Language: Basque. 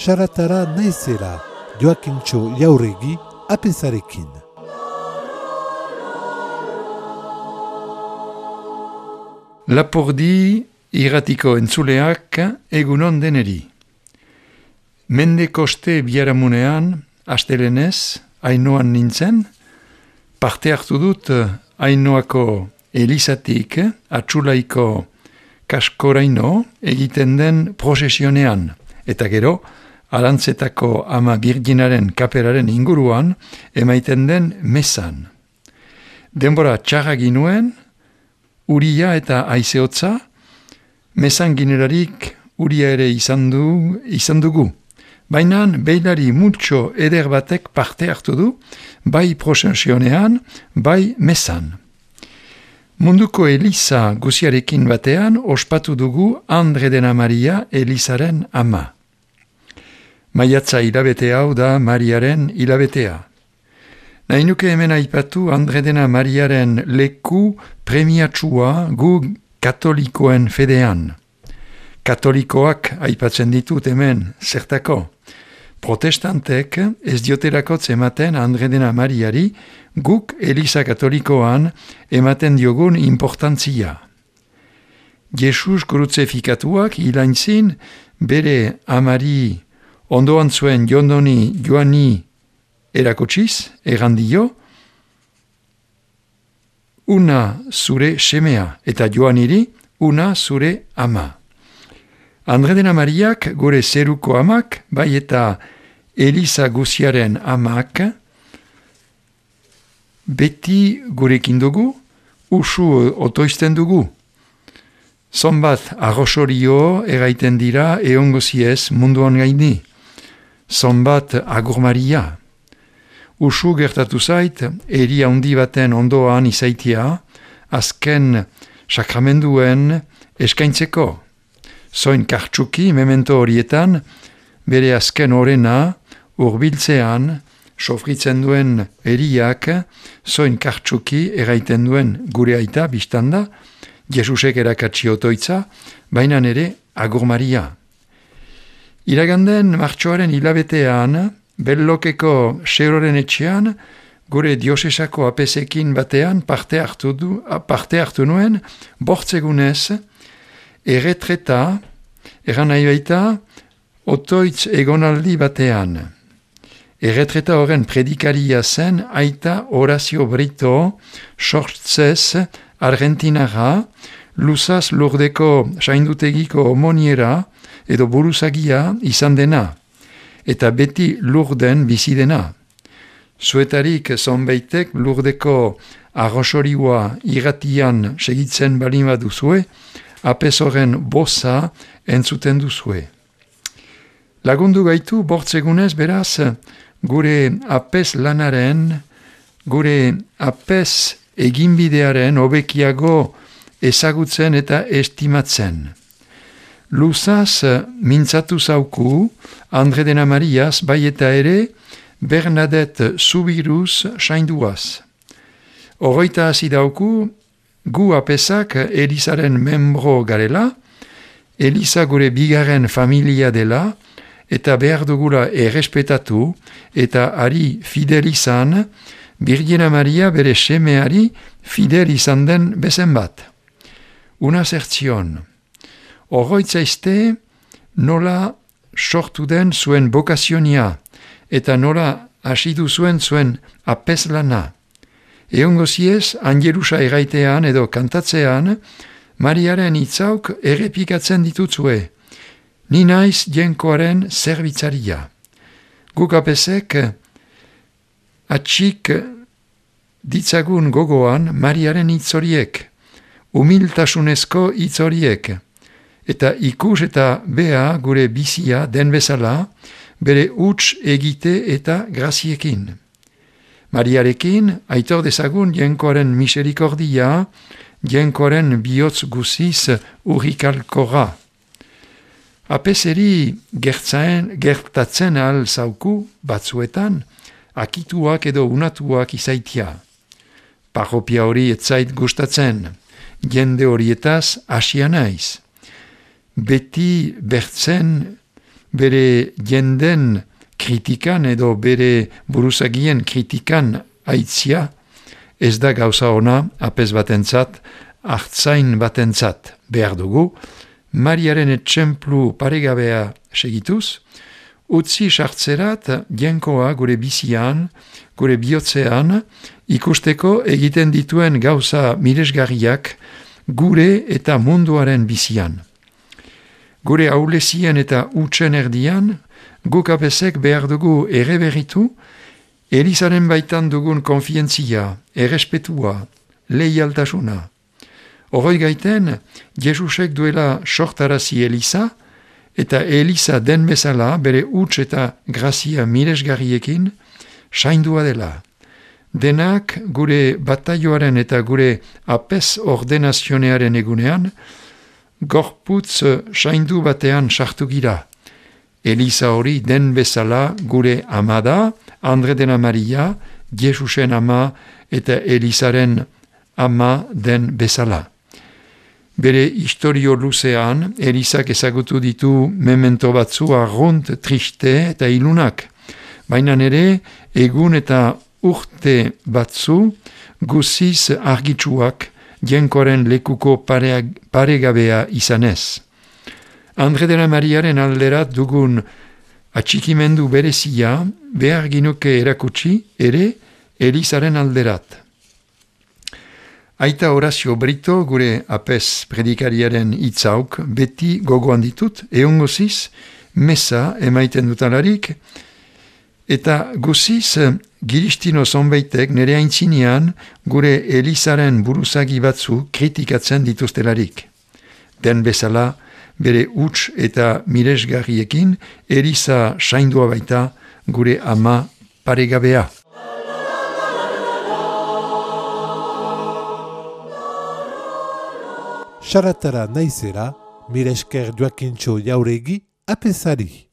Saratara naizela, Joakintxo Jauregi, apezarekin. Lapurdi irratiko entzuleak egunon deneri. Mende koste biharamunean, astelenez, Ainoan nintzen, parte hartu dut Ainoako Elizatik, Atsulaiko kaskoraino egiten den prozesionean, eta gero, Arantzetako ama Birginaren kaperaren inguruan emaiten den mesan. Denbora txarra ginuen, uria eta aizeotza, mesan ginerarik uria ere izan dugu. Baina beilari multxo eder batek parte hartu du, bai prozesionean, bai mesan. Munduko Eliza guziarekin batean ospatu dugu Andre dena Maria Elizaren ama. Maiatza hilabete hau da Mariaren hilabetea. Nahi nuke hemen aipatu Andre dena Mariaren leku premiatsua gu katolikoen fedean. Katolikoak aipatzen ditut hemen zertako. Protestantek ez dioterako ematen Andre dena Mariari guk Eliza katolikoan ematen diogun importantzia. Jesus krutzefikatuak hilaintzin bere amari ondoan zuen jondoni joani erakotsiz, errandio, una zure semea eta joaniri una zure ama. Andre dena Mariak gure zeruko amak, bai eta Eliza guziaren amak, beti gurekin dugu, usu otoizten dugu. Zonbat arrosorio eraiten dira eongoziez munduan gaini. Zonbat agur Maria. Usu gertatu zait, eri handi baten ondoan izaitia, azken sakramenduen eskaintzeko. Zoin kartsuki memento horietan, bere azken orena, urbiltzean, sofritzen duen eriak, zoin kartsuki eraiten duen gure aita biztanda, Jesusek erakatsi otoitza, baina ere agur Maria. Iraganden martxoaren hilabetean, Bellokeko Seroren etxean, gure diosesako apesekin batean parte hartu nuen, bortzegunez, erretreta, eran nahi baita, otoitz egonaldi batean. Erretreta horren predikaria zen aita Horacio Brito, sortzez Argentinara, luzaz Lurdeko saindutegiko homoniera edo buruzagia izan dena, eta beti Lurden bizi dena. Zuetarik zonbeitek Lurdeko arrosorioa irratian segitzen balima duzue, apez horren boza entzuten duzue. Lagundu gaitu bortzegunez beraz, gure apez lanaren, gure apez eginbidearen hobekiago ezagutzen eta estimatzen. Luzaz mintzatu zauku, Andre dena Mariaz, bai eta ere, Bernadette Zubiruz sainduaz. Oroita hasi dauku, gu apezak Elizaren membro garela, Eliza gure bigarren familia dela, eta behar dugula errespetatu, eta ari fidel izan, Birgina Maria bere semeari fidel izan den bezen bat. Una zertzion. Oroitzaizte nola sortu den zuen bokazionia, eta nola hasidu zuen apez lana. Eongoziez, angelusa eraitean edo kantatzean, Mariaren hitzauk errepikatzen ditutzue. Ni naiz jenkoaren zerbitzaria. Guk apezek atxik ditzagun gogoan Mariaren hitz horiek, humiltasunezko hitz horiek, eta ikus eta bea gure bizia den bezala, bere huts egite eta graziekin. Mariarekin, aitor dezagun jenkoaren miserikordia, jenkoaren bihotz guziz urrikalkora. Apeseri gertatzen ahal zauku batzuetan, akituak edo unatuak izaitia. Parropia hori etzait gustatzen, jende horietaz asia naiz. Beti bertzen bere jenden kritikan edo bere buruzagien kritikan aitzia, ez da gauza ona apes batentzat, hartzain batentzat behar dugu, Mariaren etxemplu paregabea segituz, utzi sartzerat jenkoa gure bizian, gure bihotzean, ikusteko egiten dituen gauza miresgarriak gure eta munduaren bizian. Gure aulezien eta utsen erdian, guk apesek behar dugu erreberritu, Elizaren baitan dugun konfientzia, errespetua, leialtasuna. Horroi gaiten, Jesusek duela sortarazi Eliza, eta Eliza den bezala bere huts eta grazia miresgarriekin saindua dela. Denak gure bataioaren eta gure apes ordenazionearen egunean, gorputz saindu batean sartu gira. Eliza hori den bezala gure ama da, Andredena Maria, Jesusen ama eta Elizaren ama den bezala. Bere historio luzean, Elizak ezagutu ditu memento batzu arrunt, triste eta ilunak. Baina ere, egun eta urte batzu guziz argitsuak jenkoaren lekuko paregabea izanez. Andredena Mariaren alderat dugun atxikimendu berezia behar ginuke erakutsi ere Elizaren alderat. Aita Horazio Brito gure apes predikariaren hitzauk beti gogoan ditut, eongoziz, mesa emaiten dutalarik, eta guziz giristino zonbaitek nere aintzinean gure Elizaren buruzagi batzu kritikatzen dituztelarik. Den bezala, bere huts eta miresgarriekin, Eliza saindua baita gure ama paregabea. Saratara naizera, miresker Joakintxo Jauregi apesari.